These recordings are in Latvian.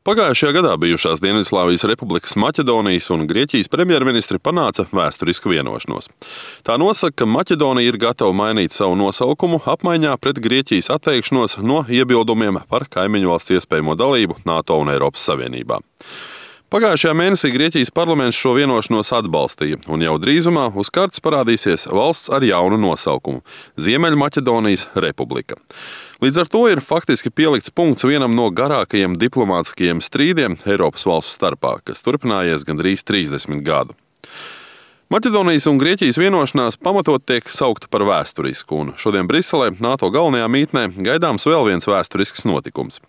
Pagājušajā gadā bijušās Dienvidslāvijas republikas Maķedonijas un Grieķijas premjerministri panāca vēsturisku vienošanos. Tā nosaka, ka Maķedonija ir gatava mainīt savu nosaukumu apmaiņā pret Grieķijas atteikšanos no iebildumiem par kaimiņu valsts iespējamo dalību NATO un Eiropas Savienībā. Pagājušajā mēnesī Grieķijas parlaments šo vienošanos atbalstīja, un jau drīzumā uz kartes parādīsies valsts ar jaunu nosaukumu – Ziemeļmaķedonijas republika. Līdz ar to ir faktiski pielikts punkts vienam no garākajiem diplomātiskajiem strīdiem Eiropas valstu starpā, kas turpinājies gandrīz 30 gadu. Maķedonijas un Grieķijas vienošanās pamatot tiek saukta par vēsturisku, un šodien Briselē, NATO galvenajā mītnē, gaidāms vēl viens vēsturisks notikums.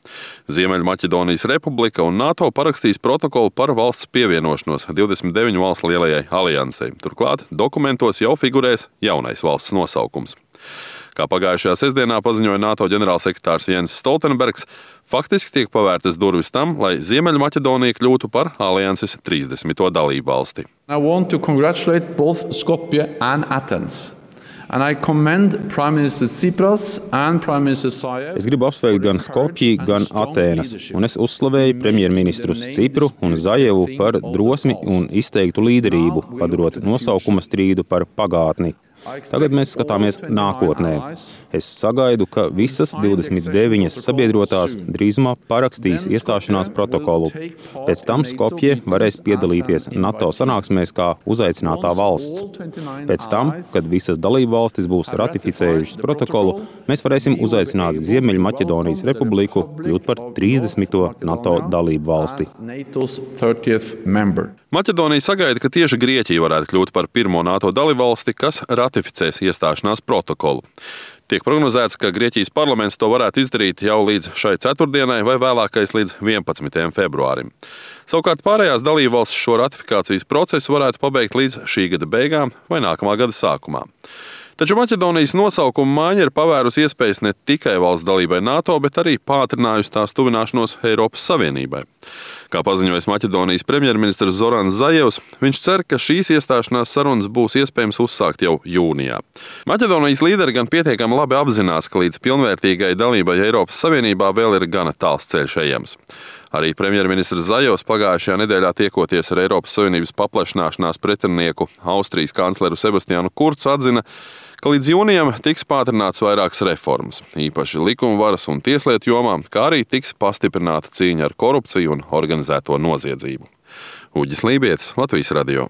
Ziemeļmaķedonijas republika un NATO parakstīs protokolu par valsts pievienošanos 29 valstu lielajai aliansei. Turklāt dokumentos jau figurēs jaunais valsts nosaukums. Kā pagājušajā sestdienā paziņoja NATO ģenerālsekretārs Jens Stoltenbergs, faktiski tiek pavērtas durvis tam, lai Ziemeļmaķedonija kļūtu par alianses 30. dalību valsti. I want to congratulate both Skopje and Athens. And I commend Prime Minister Tsipras and Prime Minister Zaev. Es gribu apsveikt gan Skopji, gan Atēnas, un es uzslavēju premjerministrus Cipru un Zaevu par drosmi un izteiktu līderību, padarot nosaukuma strīdu par pagātni. Tagad mēs skatāmies nākotnē. Es sagaidu, ka visas 29 sabiedrotās drīzumā parakstīs iestāšanās protokolu. Pēc tam Skopje varēs piedalīties NATO sanāksmēs kā uzaicinātā valsts. Pēc tam, kad visas dalību valstis būs ratificējušas protokolu, mēs varēsim uzaicināt Ziemeļmaķedonijas republiku kļūt par 30. NATO dalību valsti. Maķedonija sagaida, ka tieši Grieķija varētu kļūt par pirmo NATO dalībvalsti, kas ratificēs iestāšanās protokolu. Tiek prognozēts, ka Grieķijas parlaments to varētu izdarīt jau līdz šai ceturtdienai vai vēlākais līdz 11. februārim. Savukārt pārējās dalībvalstis šo ratifikācijas procesu varētu pabeigt līdz šī gada beigām vai nākamā gada sākumā. Taču Maķedonijas nosaukuma maiņa ir pavērusi iespējas ne tikai valsts dalībai NATO, bet arī pātrinājusi tās tuvināšanos Eiropas Savienībai. Kā paziņojis Maķedonijas premjerministrs Zorans Zajevs, viņš cer, ka šīs iestāšanās sarunas būs iespējams uzsākt jau jūnijā. Maķedonijas līderi gan pietiekami labi apzinās, ka līdz pilnvērtīgai dalībai Eiropas Savienībā vēl ir gana tāls ceļš ejams. Arī premjerministrs Zajevs pagājušajā nedēļā tiekoties ar Eiropas Savienības paplašināšanās pretinieku Austrijas kancleru Sebastianu Kurcu atzina, ka līdz jūnijam tiks pātrināts vairākas reformas, īpaši likumvaras un tieslietu jomā, kā arī tiks pastiprināta cīņa ar korupciju un organizēto noziedzību. Uģis Lībietis, Latvijas radio.